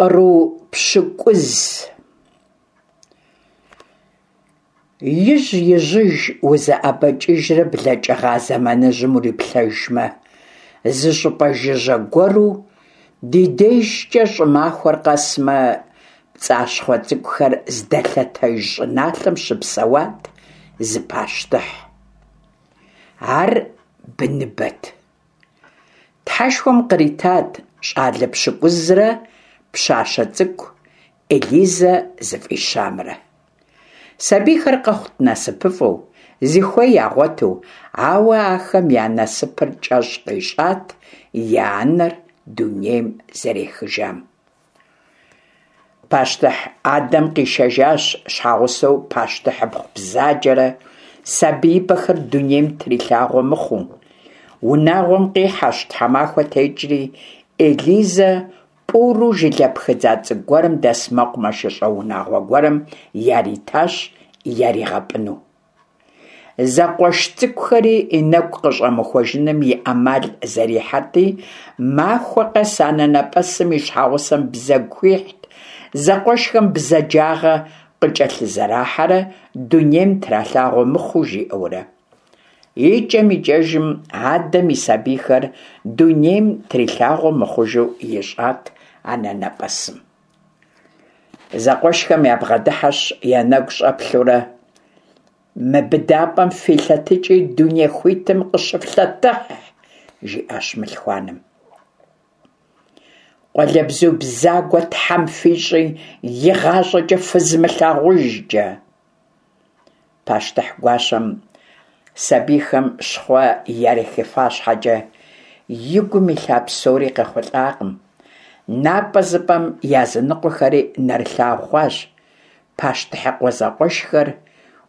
Къру пщыкӏуз. Ижь-ижьыж узэӏэбэкӏыжрэ блэкӏыгъа зэманыжьым уриплъэжмэ, зы щӏыпӏэ жыжьэ гуэру ди дежкӏэ щӏымахуэр къэсмэ, пцӏащхъуэ цӏыкӏухэр здэлъэтэж щӏыналъэм щыпсэуат зы пащтыхь. Ар быныбэт. Тхьэшхуэм къритат щӏалэ пщыкӏузрэ пщащэ цӏыкӏу Элизэ зыфӏищамрэ. Сабийхэр къэхъут насыпыфӏэу, зыхуей ягъуэту, ауэ ахэм я насыпыр кӏэщӏ къищӏат я анэр дунейм зэрехыжам. Пащтыхь адэм къишэжащ щхьэгъусэу пащтыхьыпхъу бзаджэрэ сабиибэхэр дунейм трилъагъуэ мыхъуу. Унагъуэм къихьэщ тхьэмахуэ текӏри, Элизэ пӏуру жылэ пхыдза цӏыкӏу гуэрым дэс мэкъумэшыщӏэ унагъуэ гуэрым яритащ яригъэпӏыну. Зэкъуэш цӏыкӏухэри и нэгу къыщӏэмыхуэжыным и ӏэмал зэрихьэрти, махуэ къэс анэнэпӏэсым и щхьэгъусэм бзэгу хуихьт, зэкъуэшхэм бзаджагъэ къыкӏэлъызэрахьэрэ дунейм тралъагъуэ мыхъуу жиӏэурэ. Икӏэм-икӏэжым адэм и сабийхэр дунейм трилъагъуэ мыхъужу ищӏат анэнэпӏэсым. Зэкъуэшхэм ябгъэдыхьэщ, я нэгу щӏэплъурэ, Мы быдапӏэм филъэтыкӏи дуней хуитым къыщыфлъэтыхь, жиӏащ мылъхуаным. Къуалэбзу бзагуэ Тхьэм фищӏи, игъащӏэкӏэ фызмылъагъужкӏэ. Пащтыхь гуащэм сабийхэм щхъуэ ярихыфа щхьэкӏэ, и гум илъа псори къехъулӏакъым. Напӏэзыпӏэм языныкъуэхэри нэрылъагъу хъуащ. Пащтыхьыкъуэ зэкъуэшхэр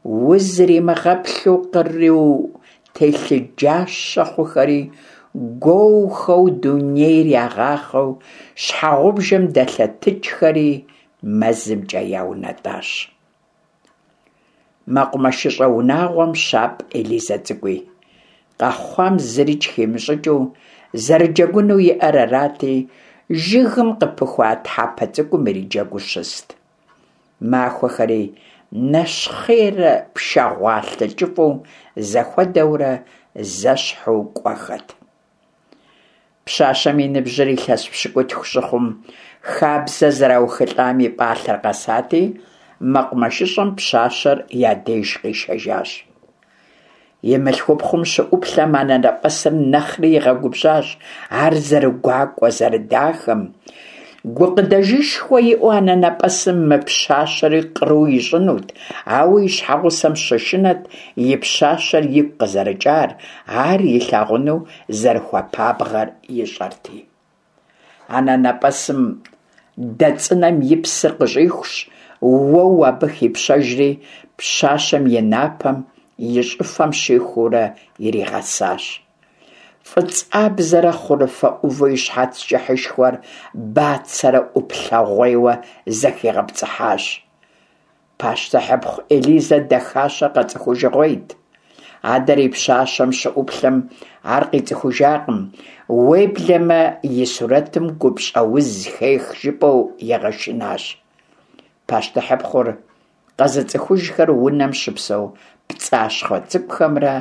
узримыгъэплъу къру телъыджащэ хъухэри, гуоухэу дунейр ягъахъэу щхьэгъубжэм дэлъэтыкӏхэри мэзымкӏэ яунэтӏащ. Мэкъумэшыщӏэ унагъуэм щапӏ Элизэ цӏыкӏуи. Къэхъуам зырикӏ химыщӏыкӏыу, зэрыджэгуну иӏэр арати, жыгым къыпыхуа тхьэпэ цӏыкӏум ириджэгуу щыст. Махуэхэри нэщхъейрэ пшагъуалъэ кӏыфӏу зэхуэдэурэ зэщхьу кӏуэхэт. Пщащэм и ныбжьыр илъэс пщыкӏутху щыхъум, хабзэ зэраухылӏам и пӏалъэр къэсати, мэкъумэшыщӏэм пщащэр я деж къишэжащ. И мылъхупхъум щыӏуплъэм анэнэпӏэсыр нэхъри игъэгубжьащ ар зэрыгуакӏуэ, зэрыдахэм. Гукъыдэжышхуэ иӏэу анэнэпӏэсым мы пщащэри къру ищӏынут, ауэ и щхьэгъусэм щышынэт и пщащэр игу къызэрыкӏар, ар илъагъуну зэрыхуэпабгъэр ищӏэрти. Анэнэпӏэсым дэ цӏынэм и псыр къыщӏихущ, уэу абы хипщэжри, пщащэм и напэм, и щӏыфэм щихуурэ иригъэсащ. Фӏыцӏабзэрэ хъурыфэ ӏуву и щхьэц кӏыхьышхуэр бацэрэ ӏуплъэгъуейуэ зэхигъэпцӏыхьащ. Пащтыхьыпхъу Элизэ дахащэр къэцӏыхужыгъуейт. Адэр и пщащэм щыӏуплъэм ар къицӏыхужакъым, уеблэмэ и сурэтым гупщӏэуз хех жыпӏэу игъэшынащ. Пащтыхьыпхъур къэзыцӏыхужхэр унэм щыпсэу пцӏащхъуэ цӏыкӏухэмрэ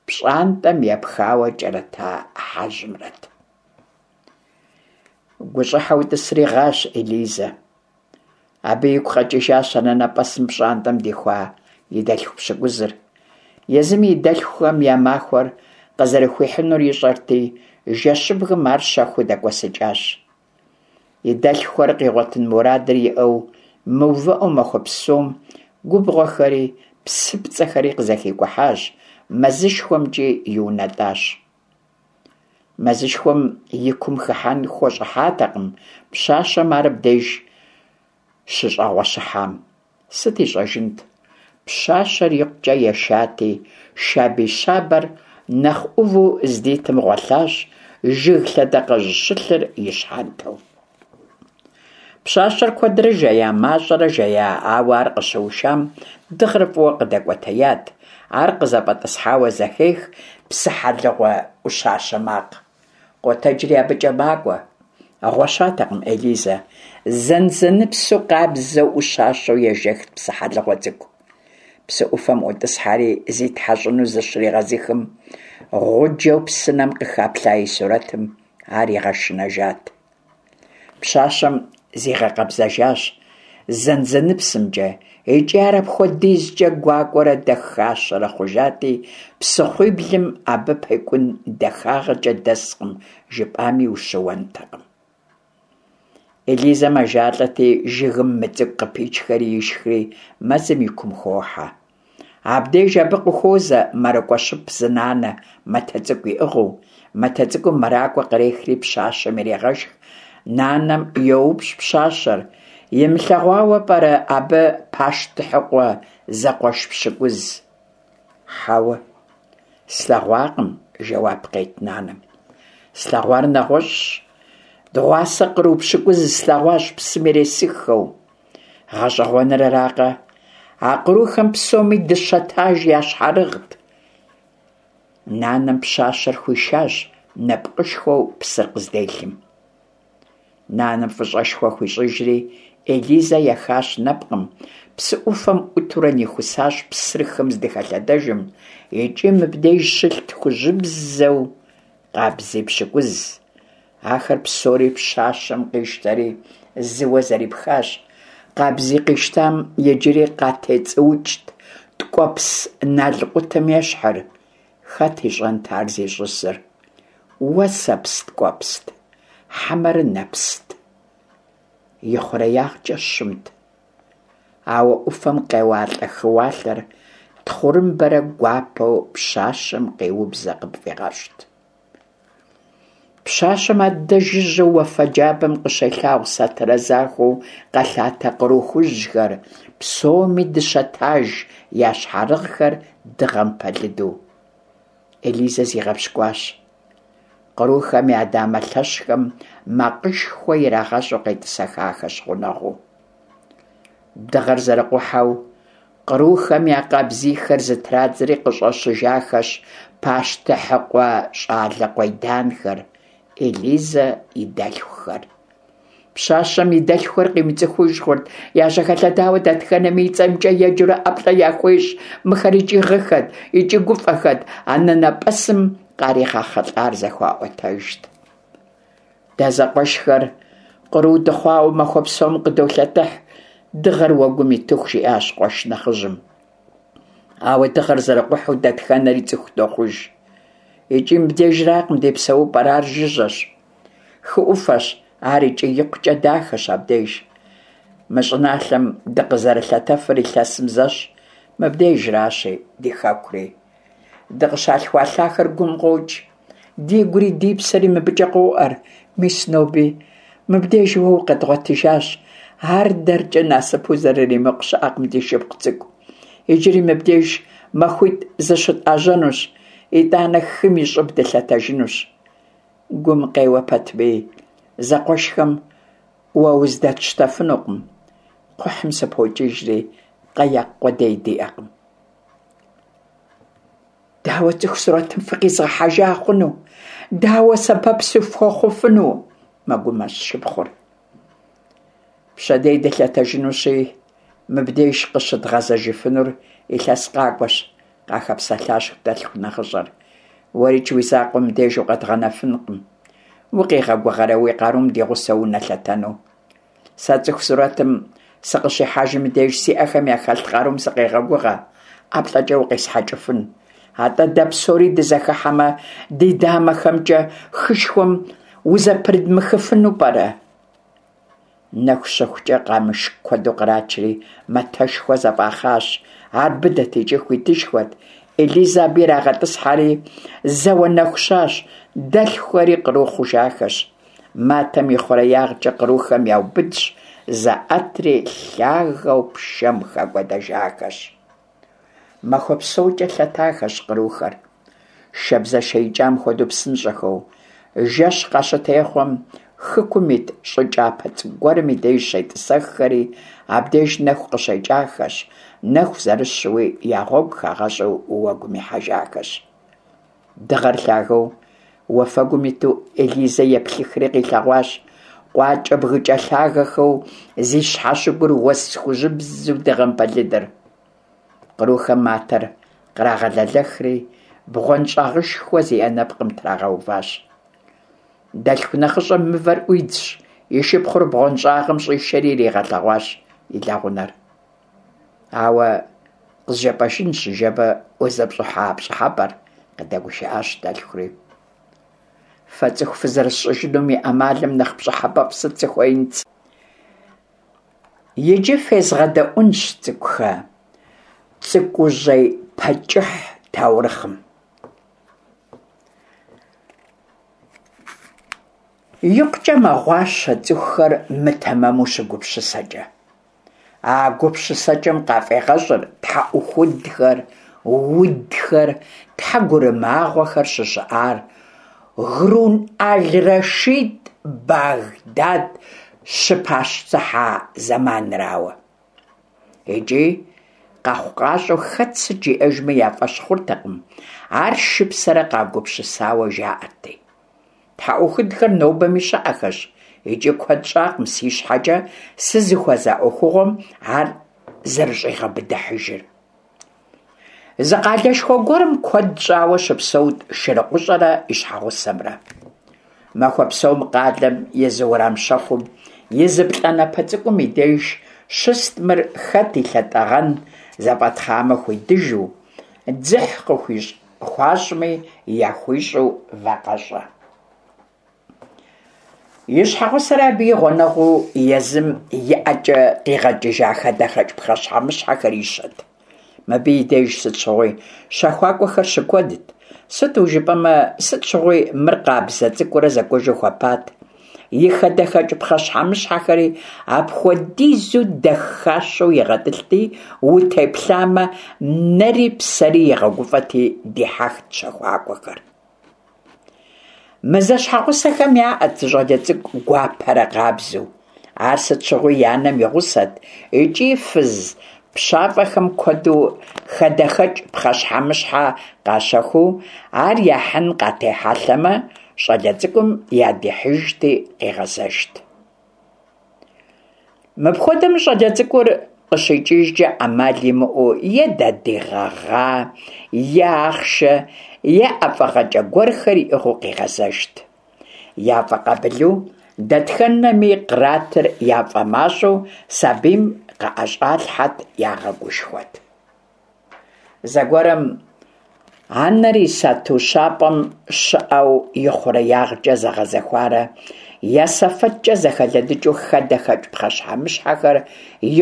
пщӏантӏэм епхауэ кӏэрыта хьэжьымрэт. Гущӏыхьэу тӏысри гъащ Элизэ. Абы игу къэкӏыжащ анэнэпӏэсым пщӏантӏэм дихуа и дэлъху пщыкӏузыр. Езыми и дэлъхухэм я махуэр къызэрыхуихьынур ищӏэрти, жэщыбгым ар щэхуу дэкӏуэсыкӏащ. И дэлъхухэр къигъуэтын мурадыр иӏэу, мыувыӏэу махуэ псом губгъуэхэри псыпцӏэхэри къызэхикӏухьащ, мэзышхуэмкӏи иунэтӏащ. Мэзышхуэм и кум хыхьэн хущӏыхьатэкъым пщащэм ар абдеж щыщӏэгъуэщыхьам. Сыт ищӏэжынт? Пщащэр икъукӏэ ешати, шабий щабэр нэхъ ӏуву здитым гъуэлъащ, жыг лъэдакъэжь щылъыр и щхьэнтэу. Пщащэр куэдрэ жея, мащӏэрэ жея, ауэ ар къыщыушам дыгъэр фӏыуэ къыдэкӏуэтеят. Ар къызэфӏэтӏысхьауэ зэхех псыхьэлыгъуэ ӏущащэ макъ. Къотэджри абыкӏэ макӏуэ. Гъуэщатэкъым Элизэ, зэнзэныпсу къабзэу ӏущащэу ежэхт псыхьэлыгъуэ цӏыкӏу. Псы ӏуфэм ӏутӏысхьэри зитхьэщӏыну зыщригъэзыхым, гъуджэу псынэм къыхэплъа и сурэтым ар игъэшынэжат. Пщащэм зигъэкъэбзэжащ зэнзэныпсымкӏэ икӏи ар апхуэдизкӏэ гуакӏуэрэ дахащэрэ хъужати, псыхъуиблым абы пекӏун дахагъэкӏэ дэскъым жыпӏами ущыуэнтэкъым. Элизэ мэжалӏэти, жыгым мы цӏыкӏу къыпичхэри ишхри, мэзым и кум хохьэ. Абдеж абы къыхуозэ мэракӏуэщып зы нанэ, матэ цӏыкӏу иӏыгъыу. Матэ цӏыкӏум мэракӏуэ кърехри пщащэм ирегъэшх. Нанэм йоупщӏ пщащэр, имылъэгъуауэ пӏэрэ абы пащтыхьыкъуэ зэкъуэш пщыкӏуз? Хьэуэ, слъэгъуакъым, жэуап къет нанэм. Слъэгъуар нэгъуэщӏщ. Дыгъуасэ къру пщыкӏуз слъэгъуащ псым иресыххэу. Гъэщӏэгъуэныр аракъэ, а кърухэм псоми дыщэ таж ящхьэрыгът. Нанэм пщащэр хуишащ нэпкъышхуэу псыр къызделъым. Нанэм фӏыщӏэшхуэ хуищӏыжри, Элизэ ехащ нэпкъым, псы ӏуфэм ӏутурэ нихусащ псыр хым здыхэлъэдэжым, икӏи мыбдеж щылът хужьыбзэу къабзий пщыкӏуз. Ахэр псори пщащэм къищтэри, зыуэ зэрипхащ. Къабзий къищтам иджыри къатецӏуукӏт ткӏуэпс налкъутым ещхьыр. Хэт ищӏэнт ар зищӏысыр? Уэсэпс ткӏуэпст, хьэмэрэ нэпст? Ихъуреягъкӏэ щымт. Ауэ ӏуфэм къеуалӏэ хыуалъэр тхъурымбэрэ гуапэу пщащэм къеубзэ къыпфӏигъэщӏт. Пщащэм аддэ жыжьэу уафэ джабэм къыщелъагъу сатырэ захуэу къэлъатэ къру хужьхэр, псоми дыщэ таж ящхьэрыгъхэр дыгъэм пэлыду. Элизэ зигъэпщкӏуащ. Кърухэм я дамэ лъэщхэм макъышхуэ ирагъэщӏу къетӏысэхахэщ гъунэгъуу. Дыгъэр зэрыкъухьэу, кърухэм я къабзийхэр зытрадзэри къыщӏэщыжахэщ пащтыхьыкъуэ щӏалэ къуеданхэр, Элизэ и дэлъхухэр. Пщащэм и дэлъхухэр къимыцӏыхуж хъурт, яжьэхэлъэдауэ дэтхэнэми и цӏэмкӏэ еджэурэ ӏэплӏэ яхуещӏ. Мыхэр икӏи гъыхэт, икӏи гуфӏэхэт, анэнэпӏэсым къаригъэхъылӏар зэхуаӏуэтэжт. Дэ зэкъуэшхэр къру дыхъуауэ махуэ псом къыдолъэтыхь, дыгъэр уэгум итыху, жиӏащ къуэш нэхъыжьым. Ауэ дыгъэр зэрыкъухьэу дэтхэнэри цӏыху дохъуж. Икӏи мыбдежракъым ди псэупӏэр, ар жыжьэщ. Хы ӏуфэщ ар икӏи икъукӏэ дахэщ абдеж. Мы щӏыналъэм дыкъызэрылъэтэфыр илъэсым зэщ, мыбдежращи ди хэкури. Дыкъыщалъхуа лъахэр гум къокӏ. Дигури ди псэри мыбыкӏэ къоӏэр. Мис ноби мыбдеж уэ укъэдгъуэтыжащ. Ар дэркӏэ насыпу зэрыримыкъу щыӏэкъым, ди шыпхъу цӏыкӏу. Иджыри мыбдеж махуитӏ зыщытӏэжьэнущ, итӏанэ хым и щӏыб дылъэтэжынущ. Гум къеуэ пэтми, зэкъуэшхэм уэ уздэтщтэфынукъым. Кхъухьым сыпокӏыжри, къэякъ къудей диӏэкъым. Дауэ цӏыху сурэтым фыкъизгъэхьэжа хъуну? Дауэ сэбэп сыфхуэхъуфыну? мэгумэщӏ шыпхъур. Пщэдей дылъэтэжынущи, мыбдеж къыщыдгъэзэжыфынур илъэс къакӏуэщ, къахэпсэлъащ дэлъху нэхъыщӏэр. Уэрикӏ уи закъуэ мыбдеж укъэдгъэнэфынкъым. Укъигъэгугъэрэ уи къарум ди гъусэу унэлъэтэну? Сэ цӏыху сурэтым сыкъыщихьэжым и деж си ӏэхэм яхэлъ къарум сыкъегъэгугъэ, ӏэплӏэкӏэ укъесхьэкӏыфын. Атӏэ дэ псори дызэхыхьэмэ, ди дамэхэмкӏэ хышхуэм узэпрыдмыхыфыну пӏэрэ? Нэху щыхукӏэ къамыш куэду кърачри, матэшхуэ зэфӏахъащ. Ар быдэт икӏи хуитышхуэт. Элизэ абы ирагъэтӏысхьэри, зэуэ нэху щащ, дэлъхухэри къру хъужахэщ. Матэм и хъуреягъкӏэ кърухэм яубыдщ, заӏэтри лъагэу пшэм хэкӏуэдэжахэщ. Махуэ псокӏэ лъэтахэщ кърухэр, шабзэшэ икӏам хуэдэу псынщӏэхэу. Жэщ къащытехъуэм, хыкум ит щӏы кӏапэ цӏыкӏу гуэрым и деж щетӏысэххэри, абдеж нэху къыщекӏахэщ, нэху зэрыщуи я гъуэгу хагъэщӏу уэгум ихьэжахэщ. Дыгъэр лъагэу уафэгум иту Элизэ еплъыхри къилъэгъуащ. къуакӏэ-бгыкӏэ лъагэхэу зи щхьэщыгур уэс хужьыбзэу дыгъэм пэлыдыр. Кърухэм матэр кърагъэлэлэхри, бгъуэнщӏагъышхуэ зиӏэ нэпкъым трагъэуващ. Дэлъху нэхъыщӏэм мывэр ӏуидзщ, и шыпхъур бгъуэнщӏагъым щӏишэри иригъэлъэгъуащ и лэгъунэр. Ауэ къызжепӏэжынщ ныжэбэ узыпщӏыхьа пщӏыхьэпӏэр, къыдэгушыӏащ дэлъхури. Фэ цӏыху фызэрысщӏыжынум и ӏэмалым нэхъ пщӏыхьэпӏэфӏ сыт сыхуеинт? Иджы фезгъэдэӏунщ, цӏыкӏухэ, Цӏыкӏужьей Пэкӏыхь таурыхъым. Икъукӏэ мэгъуащэ цӏыхухэр мытэмэму щыгупсысэкӏэ. А гупсысэкӏэм къафӏегъэщӏыр тхьэӏухудхэр, удхэр, тхьэгурымагъуэхэр щыщыӏар Грун аль-Рашид Багдад щыпащтыхьа зэманрауэ. Икӏи къэхъукъащӏэу хэт сыт жиӏэжми я фӏэщ хъуртэкъым, ар шыпсэрэ къагупсысауэ жаӏэрти. Тхьэӏухудхэр нобэми щыӏэхэщ икӏи куэд щӏакъым си щхьэкӏэ сызыхуэза ӏуэхугъуэм ар зэрыщӏигъэбыдыхьыжыр. Зы къалэшхуэ гуэрым куэд щӏауэ щыпсэут шырыкъущӏэрэ и щхьэгъусэмрэ. Махуэ псом къалэм и зы уэрам щэхум и зы плӏанэпэ цӏыкӏум и деж щыст мыр хэт и лъэтӏэгъэн зэфӏэтхъамэ хуидыжу, дзыхь къыхуащӏми яхуищӏу вакъэщӏэ. И щхьэгъусэр абы и гъунэгъуу езым и ӏэкӏэ къигъэкӏыжа хадэхэкӏ пхъэщхьэмыщхьэхэр ищэт. Мыбы и деж сыт щыгъуи щэхуакӏуэхэр щыкуэдт, сыту жыпӏэмэ, сыт щыгъуи мыр къабзэ цӏыкӏурэ зэкӏужу хуэпат. И хадэхэкӏ пхъэщхьэмыщхьэхэри апхуэдизу дахащэу игъэтӏылъти, утеплъамэ, нэри псэри игъэгуфӏэти дихьэхт щэхуакӏуэхэр. Мы зэщхьэгъусэхэм яӏэт зы щӏалэ цӏыкӏу гуапэрэ къабзэу. Ар сыт щыгъуи и анэм и гъусэт икӏи фыз пщафӏэхэм куэду хадэхэкӏ пхъэщхьэмыщхьэ къащэхуу ар яхьын къатехьэлъэмэ, щӏалэ цӏыкӏум ядихьыжти къигъэзэжт. Мыпхуэдэм щӏалэ цӏыкӏур къыщикӏыжкӏэ ӏэмал имыӏэу е дадий гъэгъа, е ахъшэ, е ӏэфӏыгъэкӏэ гуэрхэр иӏыгъыу къигъэзэжт. Яфӏэкъабылу, дэтхэнэми къратыр яфӏэмащӏэу сабийм къыӏэщӏалъхьэт, ягъэгушхуэт. Зэгуэрым анэр и сату щапӏэм щыӏэу ихъуреягъкӏэ зэгъэзэхуарэ я сэфэткӏэ зэхэлыдыкӏыу хадэхэкӏ пхъэщхьэмыщхьэхэр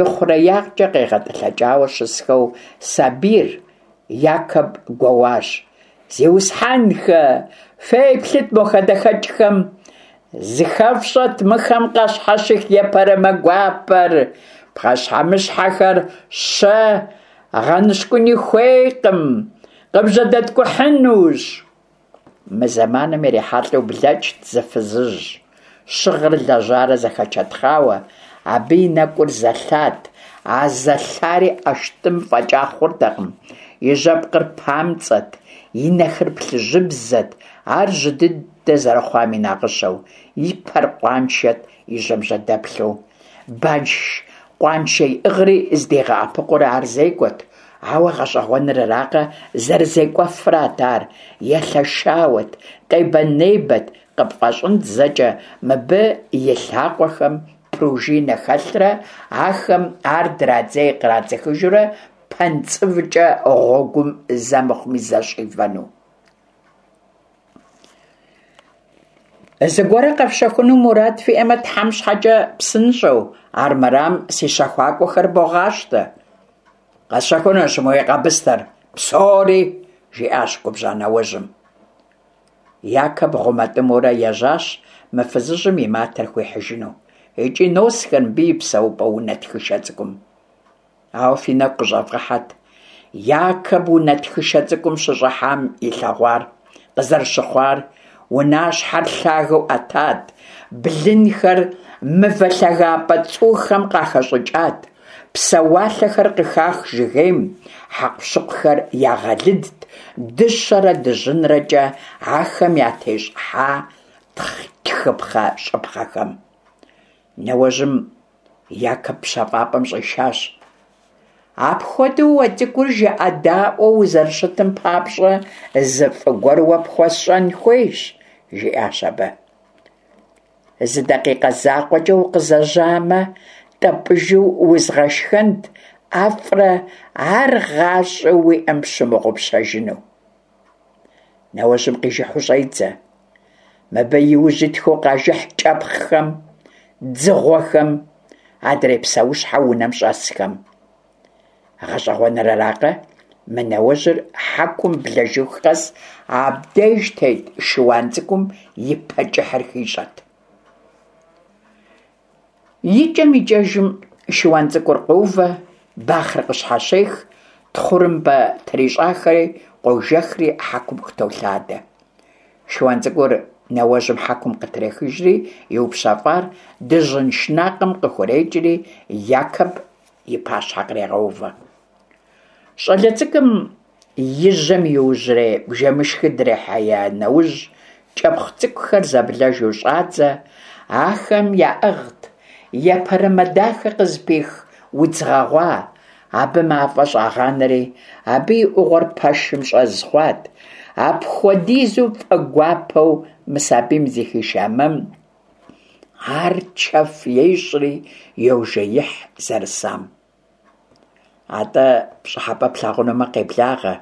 ихъуреягъкӏэ къегъэтӏылъэкӏауэ щысхэу сабийр Якоб гуэуащ. Зиусхьэнхэ, феплъыт мо хадэхэкӏхэм! Зыхэфщӏэт мыхэм къащхьэщых епэрымэ гуапэр! Пхъэщхьэмыщхьэхэр щэ гъэныщкӏуни хуейкъым, къыбжьэдэткӏухьынущ. Мы зэманым ирихьэлӏэу блэкӏт зы фызыжь, щыгъыр лэжьарэ зэхэчэтхъауэ, абы и нэкӏур зэлъат, а зэлъари ӏэштӏым фӏэкӏа хъуртэкъым, и жьэпкъыр памцӏэт, и нэхэр плъыжьыбзэт, ар жьы дыдэ зэрыхъуам и нагъыщэу, и пэр къуаншэт, и жьэм жьэдэплъу. Банш къуаншэ иӏыгъри здигъэӏэпыкъуурэ ар зекӏуэт, ауэ гъэщӏэгъуэныр аракъэ, зэрызекӏуэфрат ар, елъэшауэт, къебэ-небэт, къыпфӏэщӏынт зэкӏэ мыбы и лъакъуэхэм пружинэ хэлърэ ахэм ар драдзей-кърадзыхыжурэ пэнцӏывкӏэ гъуэгум зэ мыхъуми зэ щӏивэну. Зыгуэрэ къэфщэхуну мурад фиӏэмэ, Тхьэм щхьэкӏэ псынщӏэу, армырам си щэхуакӏуэхэр богъащтэ. Къэсщэхунущ мы уи къэбыстэр, псори, жиӏащ губжьа нэужьым. Якоб гъумэтӏымэурэ ежьащ мы фызыжьым и матэр хуихьыжыну. Икӏи носхэр мыбы и псэупӏэ унэ тхышэ цӏыкӏум. Ауэ фи нэгу къыщӏэвгъэхьэт, Якоб унэ тхышэ цӏыкӏум щыщӏыхьам илъэгъуар, къызэрыщыхъуар, унащхьэр лъагэу ӏэтат, блынхэр мывэ лъагапӏэ цӏухэм къахэщӏыкӏат, псэуалъэхэр къыхах жыгейм, хьэкъущыкъухэр ягъэлыдт, дыщэрэ дыжьынрэкӏэ ахэм ятещӏыхьа тхыпхъэщӏыпхъэхэм. Нэуэжьым Якоб пщэфӏапӏэм щӏишащ. Апхуэдэу уэ цӏыкӏур жыӏэдаӏуэу узэрыщытым папщӏэ зы фӏы гуэр уэ пхуэсщӏэн хуейщ, жиӏащ абы. Зы дакъикъэ закъуэкӏэ укъызэжьамэ, тӏэпӏыжу узгъэшхэнт ӏэфӏрэ ар гъащӏэу уиӏэм пщымыгъупщэжыну. Нэуэжьым къижыхьу щӏедзэ. Мыбы и ужь итхэу къажыхь кӏэпхъхэм, дзыгъуэхэм, адрей псэущхьэ унэм щӏэсхэм. Гъэщӏэгъуэныр аракъэ, мы нэуэжьыр хьэкум блэжыху къэс абдеж тет шыуан цӏыкӏум и пэ кӏыхьыр хищӏэт. Икӏэм-икӏэжым шыуан цӏыкӏур къоувэ, бахъэр къыщхьэщех, тхъурымбэ трищӏахэри къожэхри хьэкум къытолъадэ. Шыуан цӏыкӏур нэуэжьым хьэкум къытрехыжри, иупщэфӏар дыжьын шынакъым къыхурекӏри, Якоб и пащхьэ кърегъэувэ. Щӏалэ цӏыкӏум и жьэм иужьрей бжэмышхыр дрихьея нэужь, кӏэпхъ цӏыкӏухэр зэблэжу щӏадзэ, ахэм яӏыгът епэрымэ дахэ къызыпих удз гъэгъуа, абы мафӏэ щӏагъанэри, абы и ӏугъуэр пэшым щӏэз хъуат. Апхуэдизу фӏэгуапэу мы сабийм зыхиша мэм ар чэф ещӏри йожеихь зэрысам. Атӏэ, пщӏыхьэпӏэ плъагъунумэ, къеблагъэ.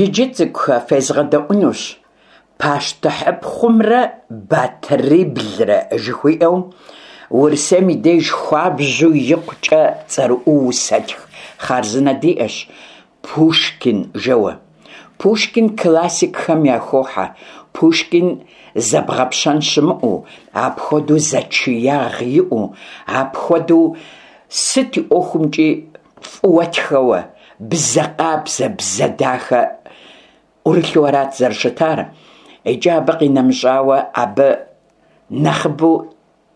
Иджы, цӏыкӏухэ, фезгъэдэӏунущ Пащтыхьыпхъумрэ батыриблрэ жыхуиӏэу Урысейм и деж хуабжьу икъукӏэ цӏэрыӏуэу усэтх хъарзынэ диӏэщ Пушкин жэуэ. Пушкин классикхэм яхохьэ. Пушкин зэбгъэпщэн щымыӏэу, апхуэдэу зэчиягъ иӏэу, апхуэдэу сыт и ӏуэхумкӏи фӏыуэ тхэуэ, бзэ къабзэ, бзэ дахэ ӏурылъу арат зэрыщытар. Икӏи абы къинэмыщӏауэ, абы нэхъыбэу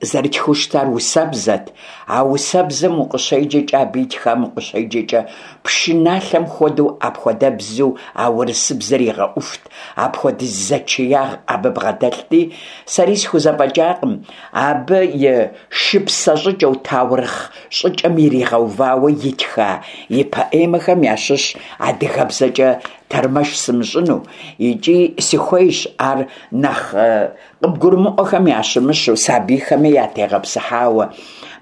зэрытхыу щытар усэбзэт. А усэбзэм укъыщеджэкӏэ, абы итхам укъыщеджэкӏэ, пшыналъэм хуэдэу апхуэдэбзэу а урысыбзэр игъэӏуфт, апхуэдиз зэчиягъ абы бгъэдэлъти, сэри схузэфӏэкӏакъым абы и шыпсэ щӏыкӏэу, таурыхъ щӏыкӏэм иригъэувауэ итха и поэмэхэм ящыщ адыгэбзэкӏэ тэрмэш сымыщӏыну, икӏи сыхуейщ ар нэхъ Къыбгурымыӏуэхэм ящымыщу, сабийхэми ятегъэпсыхьауэ,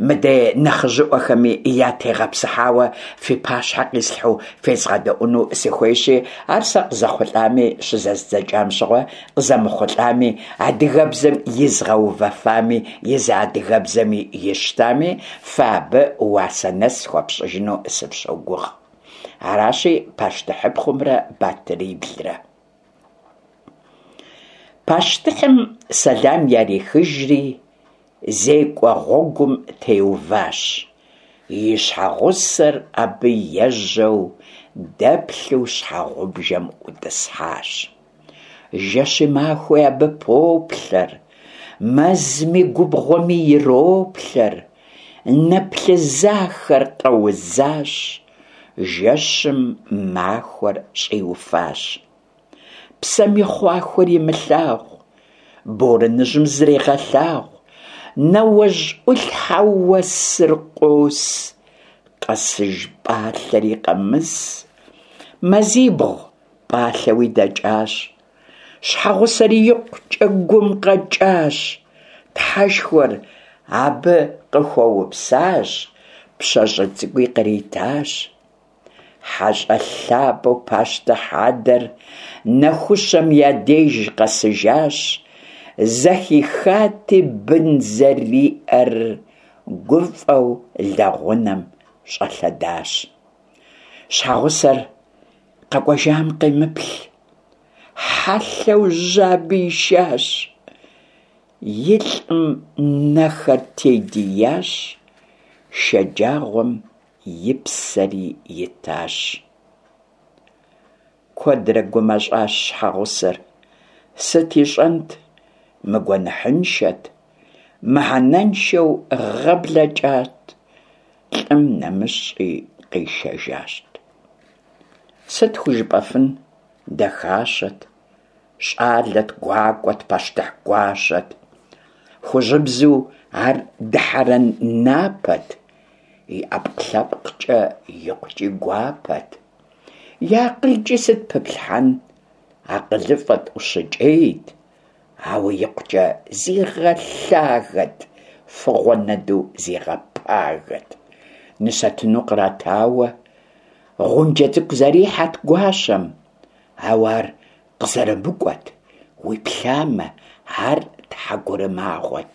мыдей нэхъыжьыӏуэхэми ятегъэпсыхьауэ фи пащхьэ къислъхьэу фезгъэдэӏуну сыхуейщи, ар сэ къызэхъулӏами щызэздзэкӏам щыгъуэ, къызэмыхъулӏами, адыгэбзэм изгъэувэфами, езы адыгэбзэми ищтами, фэ абы уасэ нэс хуэфщӏыжыну сыфщогугъ. Аращи, пащтыхьыпхъумрэ батыриблрэ. Пащтыхьым сэлам ярихыжри, зекӏуэ гъуэгум теуващ. И щхьэгъусэр абы ежьэу дэплъу щхьэгъубжэм ӏутӏысхьащ. Жэщи махуи абы поплъэр, мэзми губгъуэми ироплъэр, нэ плъызахэр къэузащ, жэщым махуэр щӏиуфащ. Псэм и хъуахуэр имылъагъу, борэныжьым зрегъэлъагъу, нэуэжь ӏулъхьэу уэсыр къос, къэсыж пӏалъэри къэмыс. Мазибгъу пӏалъэуи дэкӏащ, щхьэгъусэри икъукӏэ гум къэкӏащ, Тхьэшхуэр абы къыхуэупсащ, пщащэ цӏыкӏуи къритащ. Хьэщӏэ лъапӏэу пащтыхь адэр нэхущэм я деж къэсыжащ, зэхихати бын зэриӏэр, гуфӏэу лэгъунэм щӏэлъэдащ. Щхьэгъусэр къэкӏуэжам къемыплъ, хьэлъэу жьы абы ишащ. И лӏым нэхэр тедиящ, шэджагъуэм и псэри итащ. Куэдрэ гумэщӏащ щхьэгъусэр. Сыт ищӏэнт, мыгуэныхьыншэт, мыхьэнэншэу гъэ блэкӏат, лӏым нэмыщӏи къишэжащ. Сыт хужыпӏэфын, дахащэт, щӏалэт, гуакӏуэт, пащтыхь гуащэт. Хужьыбзэу ар дыхьэрэн напэт, и ӏэпкълъэпкъкӏэ икъукӏи гуапэт. И акъылкӏи сыт пыплъхьэн, акъылыфӏэт, ӏущыкӏейт, ауэ икъукӏэ зигъэлъагэт, фыгъуэнэду зигъэпагэт. Нысэтыну къратауэ, гъунджэ цӏыкӏу зэрихьэт гуащэм, ауэ ар къызэрымыкӏуэт, уиплъамэ, ар тхьэгурымагъуэт.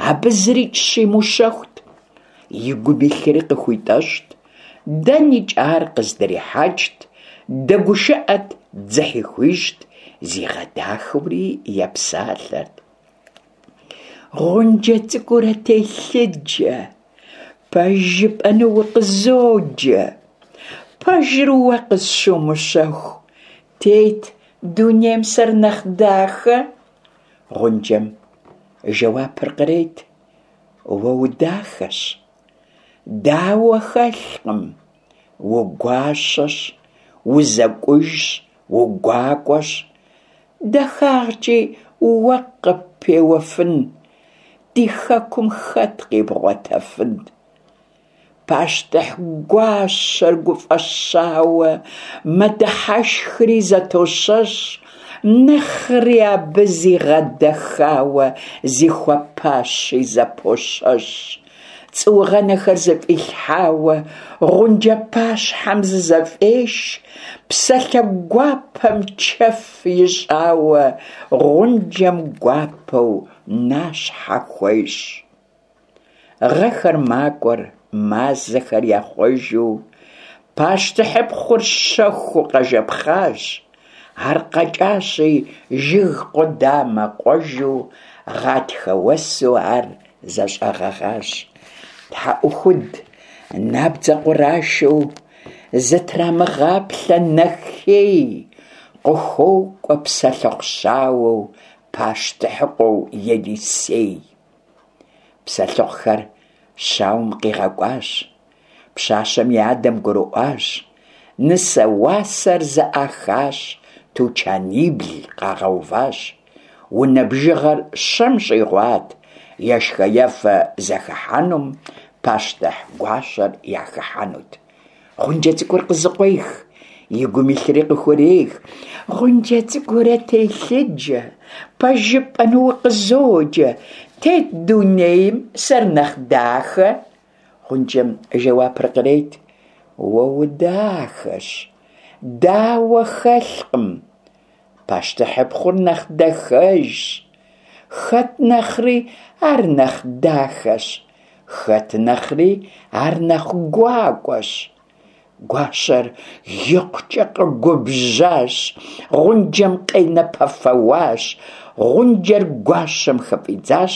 Абы зырикӏ щимыущэхут, и гум илъри къыхуитӏэщӏт, дэнэкӏи ар къыздрихьэкӏт, дэгушыӏэт, дзыхьи хуищӏт, зигъэдахэури епсалъэрт. Гъунджэ цӏыкӏуурэ телъыджэ, пэж жыпӏэну укъызоджэ. Пэжыр уэ къысщумыщэху, тет дунейм сэр нэхъ дахэ? Гъунджэм жэуапыр кърет, уэ удахэщ, дауэ хэлъкъым, угуащэщ, узэкӏужщ, угуакӏуэщ. Дахагъкӏи уэ къыппеуэфын, ди хэкум хэт къибгъуэтэфын? Пащтыхь гуащэр гуфӏэщауэ мэдыхьэшхри зэтощэщ, нэхъри абы зигъэдэхауэ зихуэпащи зэпощэщ. Цӏуугъэнэхэр зыфӏилъхьауэ гъунджэ пащхьэм зызэфӏеш, псалъэ гуапэм чэф ищӏауэ гъунджэм гуапэу нащхьэ хуещӏ. Гъэхэр макӏуэр, мазэхэр яхъуэжу, пащтыхьыпхъур щэхуу къэжэпхъащ. Ар къэкӏащи жыг къудамэ къуэжу, гъатхэ уэсу ар зэщӏэгъэгъащ. Тхьэӏухуд набдзэ къурашэу зытрамыгъаплъэ нэхей, къыхуокӏуэ псэлъыхъу щауэу пащтыхьыкъуэу Елисей. Псэлъыхъухэр щауэм къигъэкӏуащ, пщащэм и адэм гурыӏуащ, нысэ уасэр зэӏахащ, тучанибл къагъэуващ. Унэ бжыгъэр щэм щӏигъуат, ешхэ-ефэ зэхыхьэнум пащтыхь гуащэр яхыхьэнут. Гъунджэ цӏыкӏур къызыкъуех, и гум илъри къыхурех. Гъунджэ цӏыкӏуурэ телъыджэ, пэж жыпӏэну укъызоджэ, тет дунейм сэр нэхъ дахэ? Гъунджэм жэуапыр кърет, уэ удахэщ, дауэ хэлъкъым. Пащтыхьыпхъур нэхъ дахэжщ, хэт нэхъри ар нэхъ дахэщ, хэт нэхъри ар нэхъ гуакӏуэщ. Гуащэр икъукӏэ къэгубжьащ, гъунджэм къенэпэфэуащ, гъунджэр гуащэм хыфӏидзащ,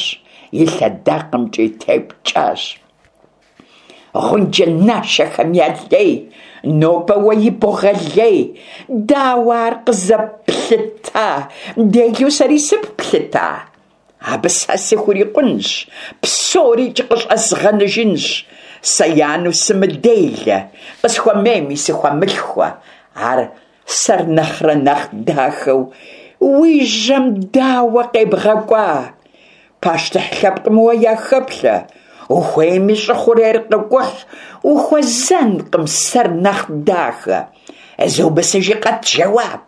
и лъэдакъэмкӏи тепкӏащ. Гъунджэ нашэхэм я лей, нобэ уэ ибогъэлей, дауэ ар къызэплъыта, делэу сэри сыпплъыта? Абы сэ сыхурикъунщ, псорикӏ къыщӏэзгъэныжынщ, сэ янэу сымыделэ, къысхуэмейми сыхуэмылъхуэ, ар сэр нэхърэ нэхъ дахэу уи жьэм дауэ къебгъэкӏуа? Пащтыхь лъэпкъым уэ яхэплъэ, ухуейми щӏы хъурейр къыкӏухь, ухуэзэнкъым сэр нэхъ дахэ. Зыумысыжи къэт жэуап.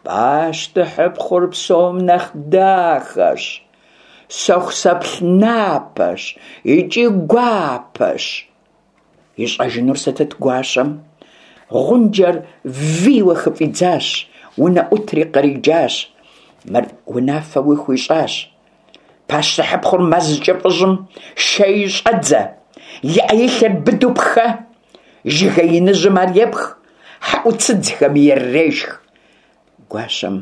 Пащтыхьыпхъур псом нэхъ дахэщ, сэхусэплъ напэщ икӏи гуапэщ. Ищӏэжынур сытыт гуащэм? Гъунджэр вийуэ хыфӏидзащ, унэӏутри къриджащ. Мыр унафэуи хуищӏащ. Пащтыхьыпхъур мэз кӏыфӏыжьым шэи щӏэдзэ, и ӏэ-и лъэр быдэу пхэ, жыгеиныжьым ар епх, хьэӏуцыдзхэми ирырешх. Гуащэм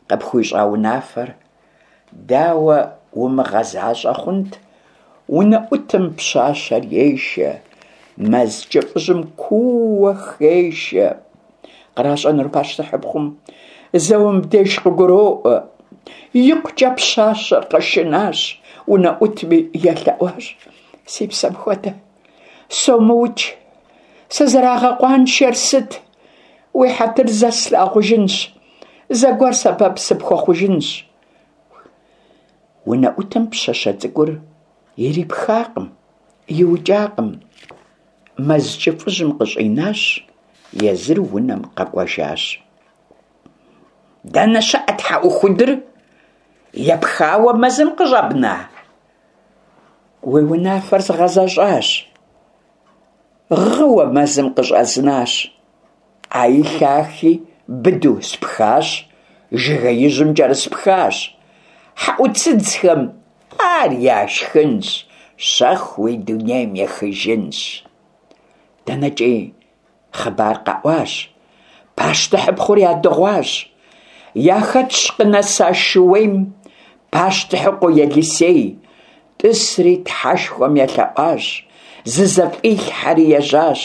къыпхуищӏа унафэр дауэ умыгъэзащӏэ хъунт? Унэӏутым пщащэр ешэ, мэз кӏыфӏыжьым куууэ хешэ. Къращӏэнур пащтыхьыпхъум зэуэ мыбдеж къыгуроӏуэ. Икъукӏэ пщащэр къэшынащ, унэӏутми елъэӏуащ. Си псэм хуэдэ, сомыукӏ, сызэрагъэкъуаншэр сыт? Уи хьэтыр зэ слъагъужынщ, зэгуэр сэбэп сыпхуэхъужынщ. Унэӏутым пщащэ цӏыкӏур ирипхакъым, иукӏакъым, мэз кӏыфӏыжьым къыщӏинащ, езыр унэм къэкӏуэжащ. Дэнэ щыӏэ тхьэӏухудыр? Епхауэ мэзым къыщӏэбна? Уи унафэр згъэзэщӏащ. Гъыуэ мэзым къыщӏэзнащ. ӏэи лъахи быдэу спхащ, жыгеижьым кӏэрыспхащ. Хьэӏуцыдзхэм ар яшхынщ, щэхууи дунейм ехыжынщ. Дэнэкӏи хъыбар къэӏуащ, пащтыхьыпхъур ядыгъуащ. Яхэтщ къынэса шууейм пащтыхьыкъуэ Елисей, тӏысри Тхьэшхуэм елъэӏуащ, зызэфӏилъхьэри ежьащ,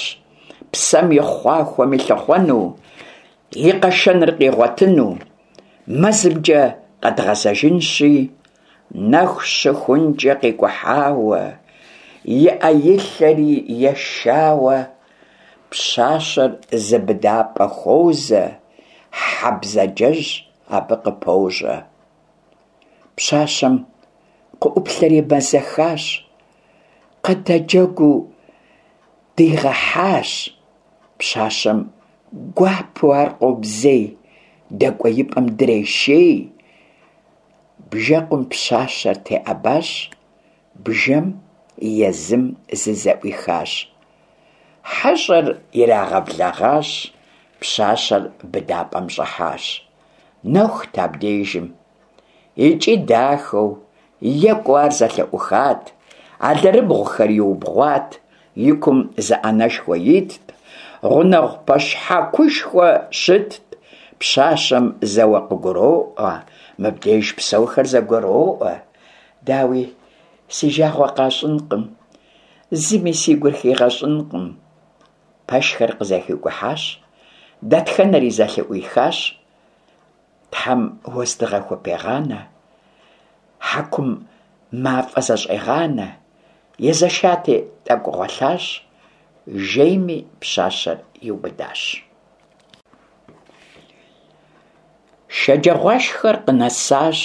псэм и хъуахуэми лъыхъуэну, и къэшэныр къигъуэтыну. Мэзымкӏэ къэдгъэзэжынщи, нэху щыхункӏэ къикӏухьауэ, и ӏэ-и лъэри ешауэ, пщащэр зы быдапӏэ хуозэ, хьэ бзаджэжь абы къыпощӏэ. Пщащэм къыӏуплъэри мэзэхащ, къыдэджэгуу дигъэхьащ. Пщащэм гуапэу ар къобзей, дэкӏуеипӏэм дрешей. Бжэкъум пщащэр теӏэбащ, бжэм езым зызэӏуихащ. Хьэщӏэр ирагъэблэгъащ, пщащэр быдапӏэм щӏыхьащ. Нэхут абдежым. Икӏи дахэу, екӏуу ар зэлъыӏухат, алэрыбгъухэр иубгъуат, и кум зы ӏэнэшхуэ итт, гъунэгъу пэшхьэкушхуэ щытт. Пщащэм зэуэ къыгуроӏуэ, мыбдеж псэухэр зэгуроӏуэ. Дауи, си жагъуэ къащӏынкъым, зыми си гур хигъэщӏынкъым. Пэшхэр къызэхикӏухьащ, дэтхэнэри зэлъыӏуихащ. Тхьэм уэздыгъэ хупегъанэ, хьэкум мафӏэ зэщӏегъанэ, езэшати, тӏэкӏу гъуэлъащ, жейми пщащэр иубыдащ. Шэджагъуашхэр къынэсащ,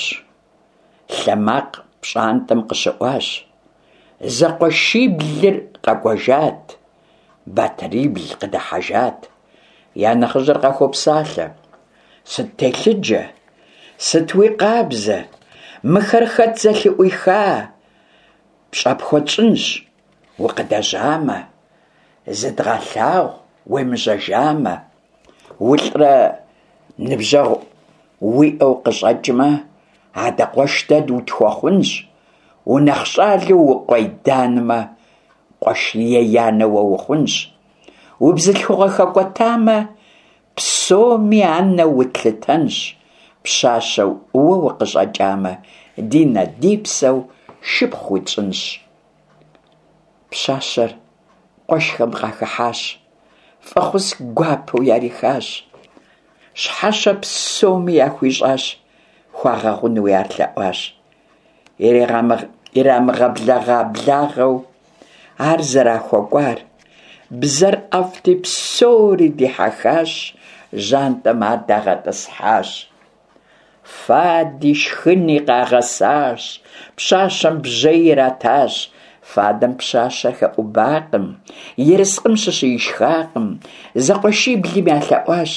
лъэ макъ пщӏантӏэм къыщыӏуащ. Зэкъуэшиблыр къэкӏуэжат, батырибл къыдыхьэжат. Я нэхъыжьыр къахуопсалъэ. Сыт телъыджэ? Сыт уи къабзэ? Мыхэр хэт зэлъыӏуиха? Пщӏэ пхуэтщӏынщ, укъыдэжьамэ, зыдгъэлъагъу уемыжьэжамэ. Улӏрэ ныбжьэгъу уиӏэу къыщӏэкӏмэ, адэ къуэш дэ утхуэхъунщ. Унэхъ щӏалэу укъуэйданмэ, къуэш еянэ уэ ухъунщ. Убзылъхугъэ хэкӏуэтамэ, псоми анэу утлъытэнщ, пщащэу уэ укъыщӏэкӏамэ, ди нэ-ди псэу шыпхъу утщӏынщ. Пщащэр къуэшхэм къахыхьащ, фӏэхъус гуапэу ярихащ, щхьэщэ псоми яхуищӏащ, хуагъэгъунуи ар лъэӏуащ. Ирамыгъэблэгъа благъэу ар зэрахуэкӏуар, бзэр ӏэфӏти псори дихьэхащ, жьантӏэм ар дагъэтӏысхьащ. Фади шхыни къагъэсащ, пщащэм бжьэи иратащ. Фадэм пщащэр хэӏубакъым, ерыскъым щыщи ишхакъым. Зэкъуэшиблым ялъэӏуащ,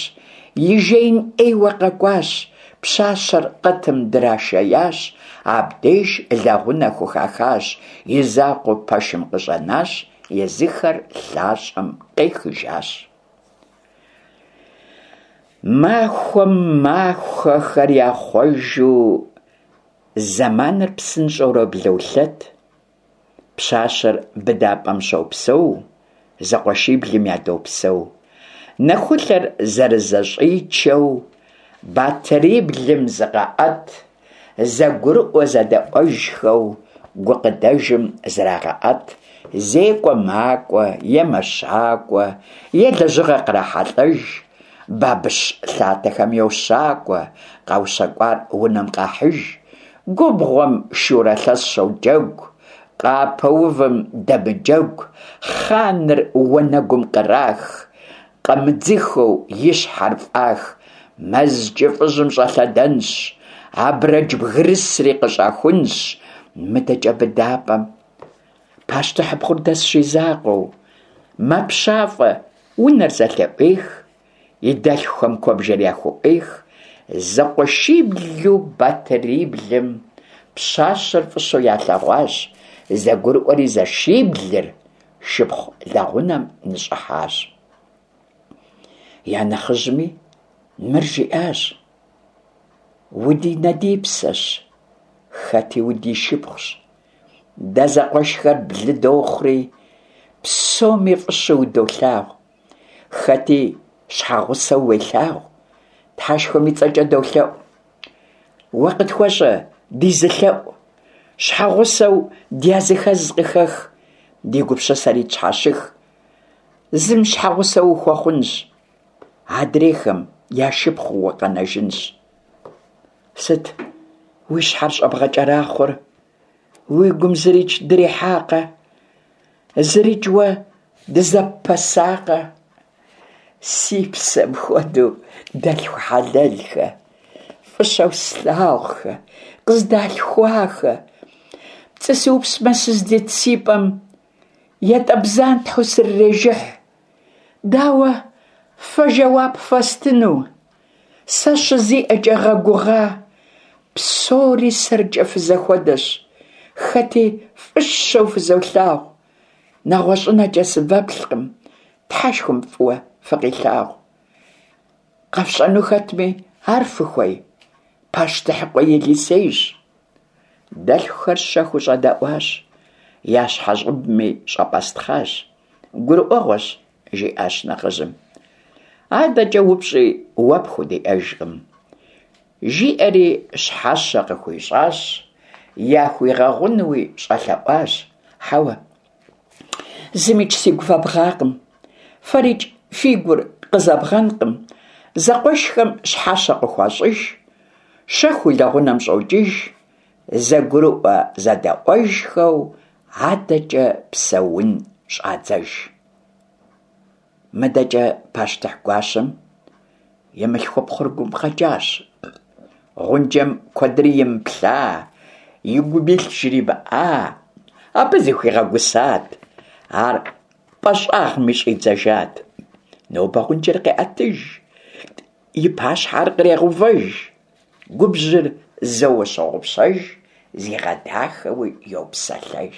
и жеин ӏейуэ къэкӏуащ. Пщащэр къытым драшеящ, абдеж лэгъунэ хухахащ, и закъуэу пэшым къыщӏэнащ, езыхэр лъащӏэм къехыжащ. Махуэм махуэхэр яхъуэжу зэманыр псынщӏэурэ блолъэт. Пщащэр быдапӏэм щопсэу, зэкъуэшиблым ядопсэу. Нэхулъэр зэрызэщӏичэу, батыриблым зыкъаӏэт, зэгурыӏуэ-зэдэӏуэжхэу гукъыдэжым зрагъэӏэт, зекӏуэ макӏуэ е мэщакӏуэ, е лэжьыгъэ кърахьэлӏэж, бабыщ лъатэхэм йощакӏуэ, къаущэкӏуар унэм къахьыж, губгъуэм шурэ лъэс щоджэгу, къапэувым дэмыджэгу, хъаныр уанэгум кърах, къэмыдзыхэу и щхьэр фӏах, мэз кӏыфӏыжьым щӏэлъэдэнщ. Абрэдж бгырысри къыщӏахунщ. Мыдэкӏэ быдапӏэм пащтыхьыпхъур дэсщ и закъуэу. Мэпщафӏэ, унэр зэлъыӏуех, и дэлъхухэм куэбжэр яхуӏуех. Зэкъуэшиблу батыриблым пщащэр фӏыщэу ялъэгъуащ, зэгурыӏуэри зэшиблыр шыпхъу лэгъунэм ныщӏыхьащ. Я нэхъыжьми мыр жиӏащ: Удинэдипсэщ, хэти удишыпхъущ. Дэ зэкъуэшхэр блы дохъури, псоми фӏыщэу удолъагъу. Хэти щхьэгъусэу уелъагъу, Тхьэшхуэм и цӏэкӏэ долъэӏу. Уэ къытхуэщӏэ ди зы лъэӏу, щхьэгъусэу дязыхэз къыхэх, ди гупсысэри тщхьэщых. Зым щхьэгъусэ ухуэхъунщ, адрейхэм я шыпхъуу укъэнэжынщ. Сыт уи щхьэр щӏэбгъэкӏэрахъуэр? Уи гум зырикӏ дрихьакъэ? Зырикӏ уэ дызэппэсакъэ? Си псэм хуэдэу дэлъху хьэлэлхэ, фӏыщэу слъагъухэ, къыздалъхуахэ, пцӏы сыупсмэ сыздит си пӏэм ятӏэ бзантхьэу срырежыхь. Дауэ фэ жэуап фэстыну? Сэ щызиӏэкӏэ гъэгугъа, псори сэркӏэ фызэхуэдэщ, хэти фӏыщэу фызолъагъу, нэгъуэщӏынэкӏэ сывэплъкъым, Тхьэшхуэм фӏыуэ фыкъилъагъу. Къэфщӏэну хэтми, ар фыхуей? Пащтыхьыкъуэ Елисейщ. Дэлъхухэр щэхуу щӏэдэӏуащ, я щхьэщӏыбми щӏэпӏэстхъащ. Гурыӏуэгъуэщ, жиӏащ нэхъыжьым. Адэкӏэ упщӏи уэ пхудиӏэжкъым. Жиӏэри щхьэщэ къыхуищӏащ, яхуигъэгъунуи щӏэлъэӏуащ. Хьэуэ, зымикӏ сигу фэбгъакъым, фэрикӏ фи гур къызэбгъэнкъым. Зэкъуэшхэм щхьэщэ къыхуащӏыж, щэхуу лэгъунэм щӏокӏыж, зэгурыӏуэ-зэдэӏуэжхэу адэкӏэ псэун щӏадзэж. Мыдэкӏэ пащтыхь гуащэм и мылъхупхъур гум къэкӏащ. Гъунджэм куэдрэ имыплъа, и гум илъ жримыӏа, абы зыхуигъэгусат, ар пӏэ щӏагъми щӏидзэжат. Нобэ гъунджэр къеӏэтыж, и пащхьэ ар кърегъэувэж. Губжьыр зэуэ щогъупщэж, зигъэдахэуи йопсэлъэж.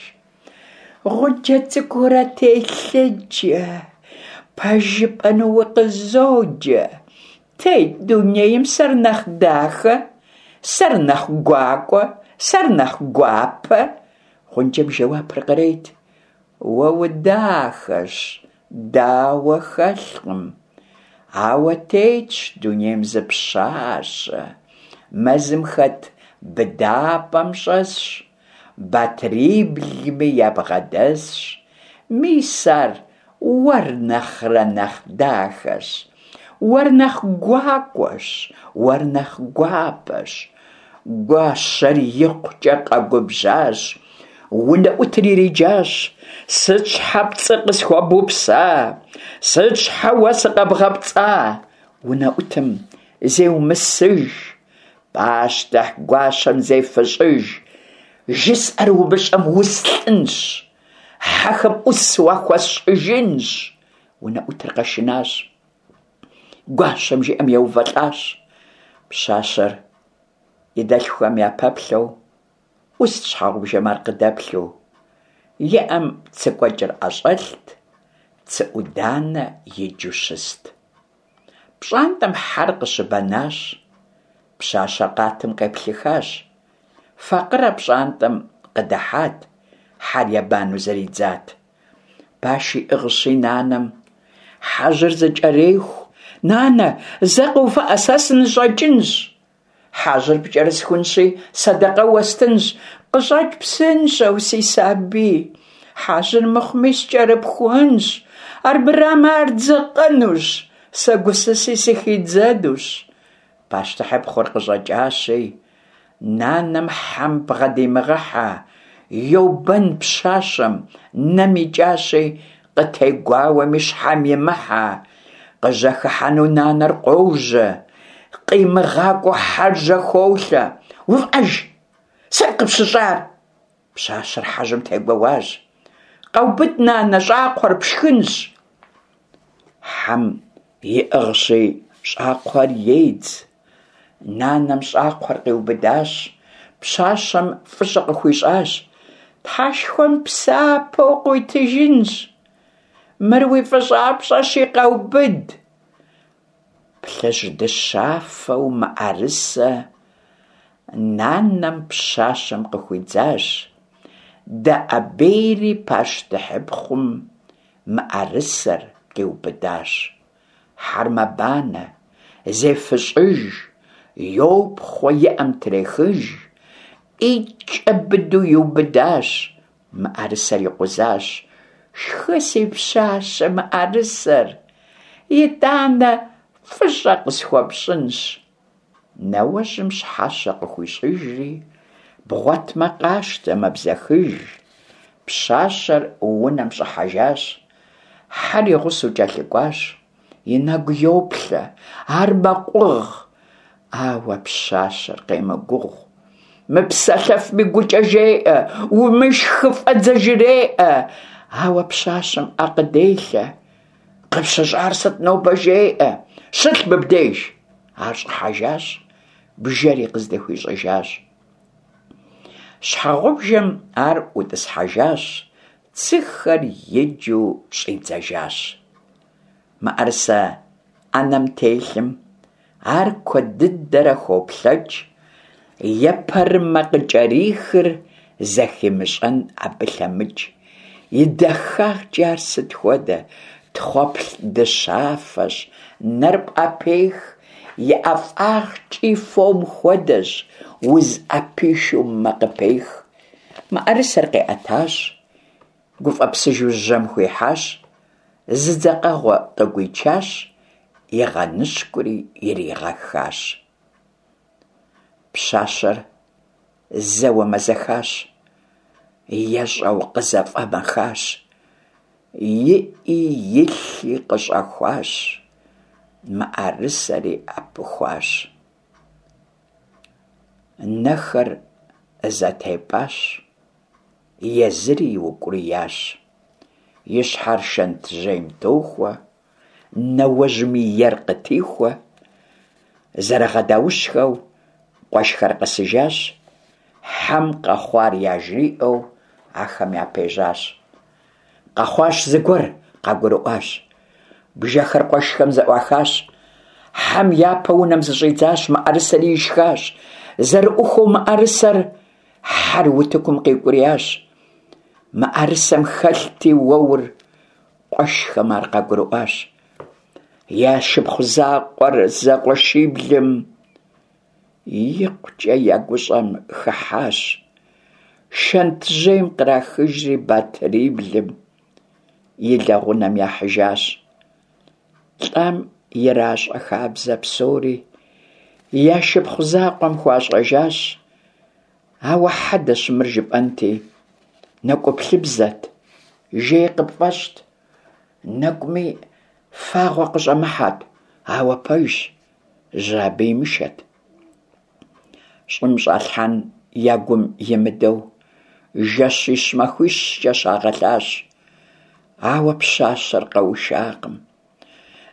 Гъуджэ цӏыкӏуурэ телъыджэ, пэж жыпӏэну укъызоджэ. Тет дунейм сэр нэхъ дахэ, сэр нэхъ гуакӏуэ, сэр нэхъ гуапэ. Гъунджэм жэуапыр кърет. Уэ удахэщ, дауэ хэлъкъым. Ауэ тетщ дунейм зы пщащэ, мэзым хэт быдапӏэм щӏэсщ, батыриблми ябгъэдэсщ. Мис ар уэр нэхърэ нэхъ дахэщ, уэр нэхъ гуакӏуэщ, уэр нэхъ гуапэщ. Гуащэр икъукӏэ къэгубжьащ, унэӏутыр ириджащ. Сыт щхьэ пцӏы къысхуэбупса? Сыт щхьэ уэ сыкъэбгъэпцӏа? Унэӏутым зеумысыж, пащтыхь гуащэм зефыщӏыж. Жысӏэр умыщӏэм услӏынщ, хьэхэм ӏус уахуэсщӏыжынщ. Унэӏутыр къэшынащ. Гуащэм жиӏэм еувэлӏащ. Пщащэр и дэлъхухэм япэплъэу, ӏуст щхьэгъубжэм ар къыдэплъу. И ӏэм цы кӏуэкӏыр ӏэщӏэлът, цы ӏуданэ иджу щыст. Пщӏантӏэм хьэр къыщыбэнащ. Пщащэр къатым къеплъыхащ. Факъырэ пщӏантӏэм къыдыхьат, хьэр ебэну зэридзат. Баш иӏыгъщи нанэм хьэжьыр зыкӏэреху. Нанэ, зэ къэувыӏэ, сэ сыныщӏэкӏынщ. Хьэжьыр пкӏэрысхунщи, сэдэкъэ уэстынщ. Къыщӏэкӏ псынщӏэу, си сабий. Хьэжьыр мыхъуми скӏэрыпхунщ. Армырамэ ар дзэкъэнущ, сэ гусыси сыхидзэнущ. Пащтыхьыпхъур къыщӏэкӏащи, нанэм хьэм бгъэдимыгъэхьэ, йобэн пщащэм, нэм икӏащи, къытегуауэми щхьэм имыхьэ. Къыжьэхыхьэну нанэр къожьэ, къимыгъакӏуэу хьэр жьэхолъэ. Увыӏэж! Сыт къыпщыщӏар? Пщащэр хьэжьым тегуэуащ. Къэубыд, нанэ, щӏакхъуэр пшхынщ. Хьэм иӏыгъщи, щӏакхъуэр едз. Нанэм щӏакхъуэр къиубыдащ, пщащэм фӏыщӏэ къыхуищӏащ. Тхьэшхуэм псапэу къыуитыжынщ. Мыр уи фӏыщӏапщӏэщи, къэубыд. Плъыжь дыщафэу мыӏэрысэ нанэм пщащэм къыхуидзащ. Дэӏэбейри пащтыхьыпхъум мыӏэрысэр къиубыдащ. Хьэр мэбанэ, зефыщӏыж, йопхъуэ и ӏэм трехыж, ӏитӏкӏэ быдэу иубыдащ, мыӏэрысэр икъузащ. Шхы, си пщащэ, мыӏэрысэр, итӏанэ фӏыщӏэ къысхуэпщӏынщ. Нэуэжьым щхьэщэ къыхуищӏыжри, бгъуэтмэ къащтэ, мэбзэхыж. Пщащэр унэм щӏыхьэжащ, хьэр и гъусэу кӏэлъыкӏуащ, и нэгу йоплъэ, ар мэкъугъ. Ауэ пщащэр къемыгугъу, мыпсэлъэфми гукӏэ жеӏэ, умышх, хыфӏэдзэ жреӏэ. Ауэ пщащэм ӏэ къыделъэ, къыпщыщӏар сыт нобэ жеӏэ, щылъ мыбдеж. Ар щӏыхьэжащ, бжэри къыздыхуищӏыжащ. Щхьэгъубжэм ар ӏутӏысхьэжащ, цыхэр иджу щӏидзэжащ. Мыӏэрысэ ӏэнэм телъым ар куэд дыдэрэ хуоплъэкӏ, епэрымэ къыкӏэрихыр зэхимыщӏэн абы лъэмыкӏ. И дахагъкӏи ар сыт хуэдэ, тхъуэплъ дыщафэщ, нэр пӏэпех, и ӏэфӏагъкӏи фом хуэдэщ, узыӏэпишэу мэ къыпех. Мыӏэрысэр къиӏэтащ, гуфӏэпсыжу жьэм хуихьащ, зы дзэкъэгъуэ къыгуичащ, игъэныщкӏури иригъэхащ. Пщащэр зэуэ мэзэхащ, ещӏэу къызэфӏэмэхащ, и ӏи и лъи къыщӏэхуащ, мыӏэрысэри ӏэпыхуащ. Нэхэр зэтепӏащ, езыри иукӏуриящ. И щхьэр шэнтжьейм тохуэ, нэуэжьми ер къытихуэ. Зэрыгъэдаущхэу къуэшхэр къэсыжащ, хьэм къэхъуар яжриӏэу ахэм япежьащ. Къэхъуащ зыгуэр, къагурыӏуащ. Бжэхэр къуэшхэм зэӏуахащ. Хьэм япэ унэм зыщӏидзащ, мыӏэрысэри ишхащ. Зэрыӏухуэу мыӏэрысэр хьэр утыкум къикӏуриящ. Мыӏэрысэм хэлъти уэур, къуэшхэм ар къагурыӏуащ. Я шыпхъу закъуэр зэкъуэшиблым икъукӏэ я гущӏэм хыхьащ. Шэнтжьейм кърахыжри батыриблым и лэгъунэм яхьыжащ. Лӏам иращӏэ хабзэ псори я шыпхъу закъуэм хуащӏэжащ. Ауэ хьэдэщ мыр жыпӏэнти, нэкӏуплъыбзэт, жей къыпфӏэщӏт. Нэкӏуми фагъуэ къыщӏэмыхьэт, ауэ пэжщ, жьы абы имышэт. Щӏым щӏалъхьэн я гум имыдэу, жэщищ-махуищкӏэ щагъэлъащ. Ауэ пщащэр къэушакъым,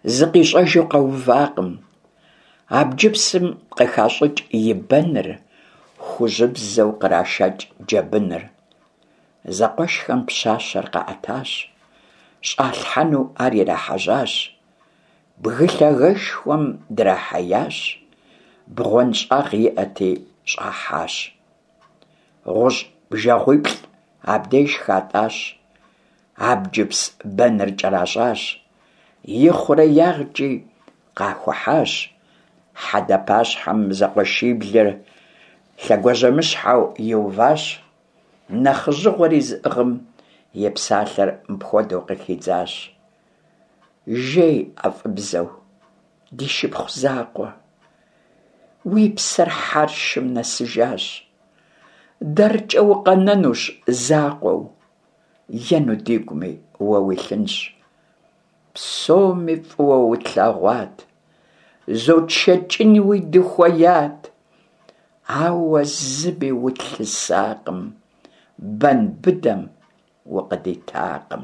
зыкъищӏэжу къэувакъым. Абджыпсым къыхащӏыкӏ и бэныр, хужьыбзэу кърашэкӏ джэбыныр. Зэкъуэшхэм пщащэр къаӏэтащ, щӏалъхьэну ар ирахьэжьащ. Бгы лъагэшхуэм драхьеящ, бгъуэнщӏагъ иӏэти, щӏахьащ. Гъущӏ бжэгъуиплӏ абдеж хатӏащ, абджыпс бэныр кӏэращӏащ, ихъуреягъкӏи къахухьащ. Хьэдэ пащхьэм зэкъуэшиблыр лъэгуажьэмыщхьэу иуващ. Нэхъыжьыгъуэри зыӏыгъым и псалъэр мыпхуэдэу къыхидзащ. Жей ӏэфӏыбзэу, ди шыпхъу закъуэ, уи псэр хьэршым нэсыжащ. Дэркӏэ укъэнэнущ закъуэу, ену дигуми уэ уилъынщ. Псоми фӏыуэ утлъэгъуат, зотшэкӏынуи дыхуеят. Ауэ зыми утлъысакъым, бэн быдэм укъыдитакъым.